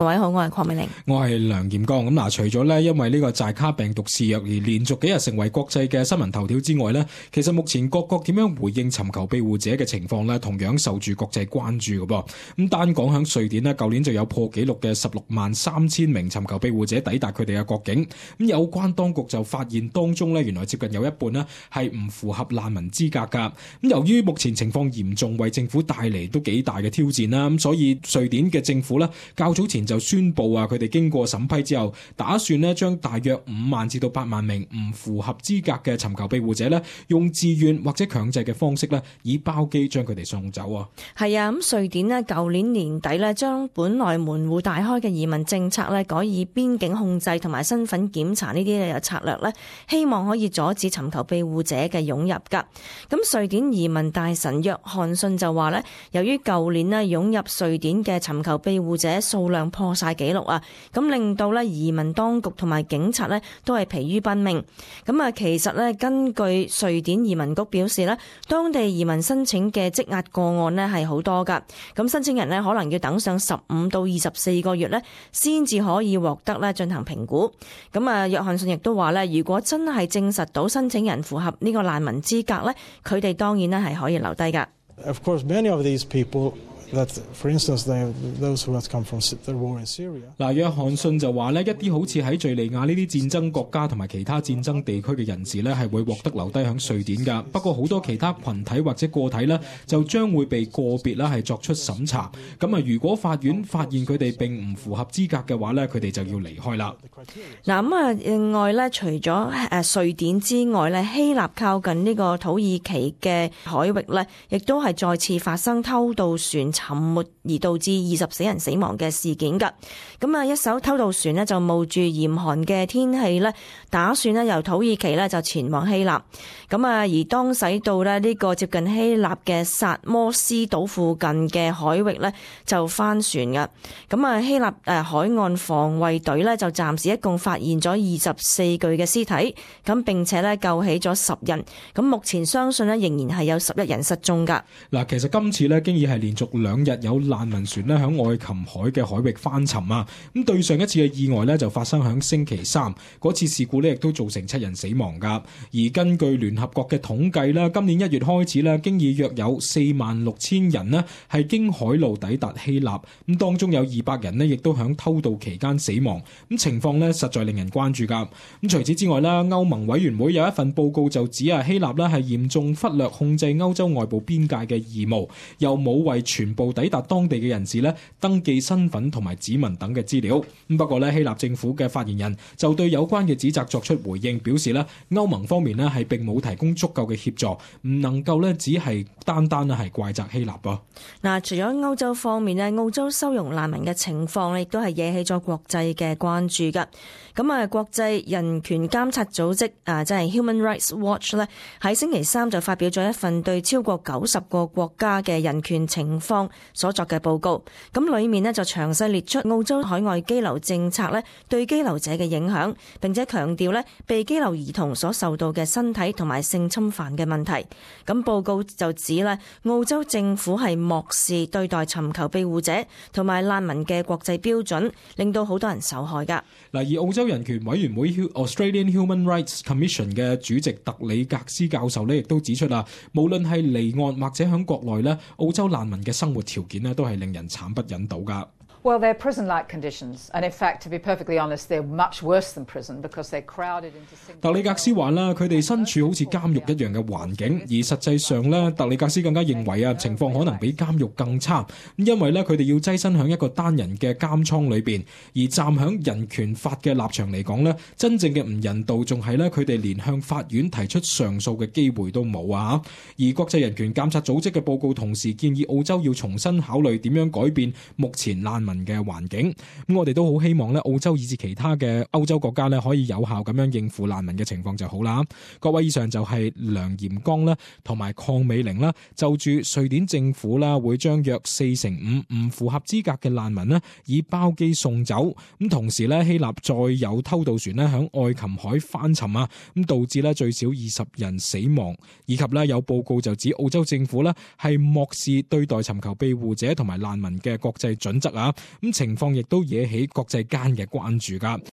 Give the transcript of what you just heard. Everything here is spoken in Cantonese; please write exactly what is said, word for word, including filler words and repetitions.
各位好，我係鄺美玲，我係梁炎光。咁嗱，除咗咧因為呢個寨卡病毒肆虐而連續幾日成為國際嘅新聞頭條之外咧，其實目前各國點樣回應尋求庇護者嘅情況咧，同樣受住國際關注嘅噃。咁單講響瑞典咧，舊年就有破紀錄嘅十六萬三千名尋求庇護者抵達佢哋嘅國境。咁有關當局就發現當中咧，原來接近有一半咧係唔符合難民資格噶。咁由於目前情況嚴重，為政府帶嚟都幾大嘅挑戰啦。咁所以瑞典嘅政府咧較早前就宣布啊，佢哋經過審批之後，打算咧將大約五萬至到八萬名唔符合資格嘅尋求庇護者咧，用自願或者強制嘅方式咧，以包機將佢哋送走啊。係啊，咁瑞典咧舊年年底咧，將本來門戶大開嘅移民政策咧，改以邊境控制同埋身份檢查呢啲嘅策略咧，希望可以阻止尋求庇護者嘅湧入噶。咁瑞典移民大臣約翰遜就話咧，由於舊年咧湧入瑞典嘅尋求庇護者數量破晒紀錄啊，咁令到咧移民當局同埋警察咧都係疲於奔命。咁啊，其實咧根據瑞典移民局表示咧，當地移民申請嘅積壓個案咧係好多噶。咁申請人咧可能要等上十五到二十四個月咧，先至可以獲得咧進行評估。咁啊，約翰遜亦都話咧，如果真係證實到申請人符合呢個難民資格咧，佢哋當然咧係可以留低噶。Of course, many of these people that, for instance, they, those who have come from the war in Syria. 嗱，約翰遜就話呢一啲好似喺敍利亞呢啲戰爭國家同埋其他戰爭地區嘅人士呢，係會獲得留低響瑞典噶。不過好多其他群體或者個體呢，就將會被個別啦係作出審查。咁啊，如果法院發現佢哋並唔符合資格嘅話呢，佢哋就要離開啦。嗱，咁啊，另外呢，除咗誒瑞典之外呢，希臘靠近呢個土耳其嘅海域呢，亦都係再次發生偷渡船沉沒而導致二十四人死亡嘅事件噶。咁啊，一艘偷渡船呢就冒住嚴寒嘅天氣呢，打算呢由土耳其呢就前往希臘。咁啊，而當駛到呢呢個接近希臘嘅薩摩斯島附近嘅海域呢，就翻船噶。咁啊，希臘誒海岸防衛隊呢就暫時一共發現咗二十四具嘅屍體，咁並且呢救起咗十人。咁目前相信呢仍然係有十一人失蹤噶。嗱，其實今次呢經已係連續兩日有難民船呢響愛琴海嘅海域翻沉啊。咁對上一次嘅意外呢就發生響星期三，嗰次事故呢亦都造成七人死亡噶。而根據聯合國嘅統計啦，今年一月開始呢經已約有四萬六千人呢係經海路抵達希臘，咁當中有二百人呢亦都響偷渡期間死亡。咁情況呢實在令人關注噶。咁除此之外啦，歐盟委員會有一份報告就指啊，希臘呢係嚴重忽略控制歐洲外部邊界嘅義務，又冇為全部抵達當地嘅人士呢登記身份同埋指紋等嘅資料。咁不過呢，希臘政府嘅發言人就對有關嘅指責作出回應，表示呢歐盟方面呢係並冇提供足夠嘅協助，唔能夠呢只係單單呢係怪責希臘噃。嗱，除咗歐洲方面呢，澳洲收容難民嘅情況亦都係惹起咗國際嘅關注噶。咁啊，國際人權監察組織啊，即係 Human Rights Watch 咧，喺星期三就發表咗一份對超過九十個國家嘅人權情況所作嘅報告。咁裏面呢就詳細列出澳洲海外羈留政策咧對羈留者嘅影響，並且強調咧被羈留兒童所受到嘅身體同埋性侵犯嘅問題。咁報告就指咧，澳洲政府係漠視對待尋求庇護者同埋難民嘅國際標準，令到好多人受害噶。嗱，而澳洲人權委員會 Australian Human Rights Commission 嘅主席特里格斯教授呢亦都指出啦，無論係離岸或者喺國內呢，澳洲難民嘅生活條件呢都係令人慘不忍睹噶。Well, they're prison-like conditions, and in fact, to be perfectly honest, they're much worse than prison because they're crowded into single. 特里格斯話啦，佢哋身處好似監獄一樣嘅環境，而實際上咧，特里格斯更加認為啊，情況可能比監獄更差，因為咧佢哋要躋身響一個單人嘅監倉裏邊，而站響人權法嘅立場嚟講咧，真正嘅唔人道仲係咧佢哋連向法院提出上訴嘅機會都冇啊！而國際人權監察組織嘅報告同時建議澳洲要重新考慮點樣改變目前難民嘅環境。咁我哋都好希望咧，澳洲以至其他嘅歐洲國家咧，可以有效咁樣應付難民嘅情況就好啦。各位，以上就係梁炎光啦，同埋鄺美玲啦，就住瑞典政府啦，會將約四成五唔符合資格嘅難民咧，以包機送走。咁同時咧，希臘再有偷渡船咧響愛琴海翻沉啊，咁導致咧最少二十人死亡，以及咧有報告就指澳洲政府咧係漠視對待尋求庇護者同埋難民嘅國際準則啊。咁情況亦都惹起國際間嘅關注㗎。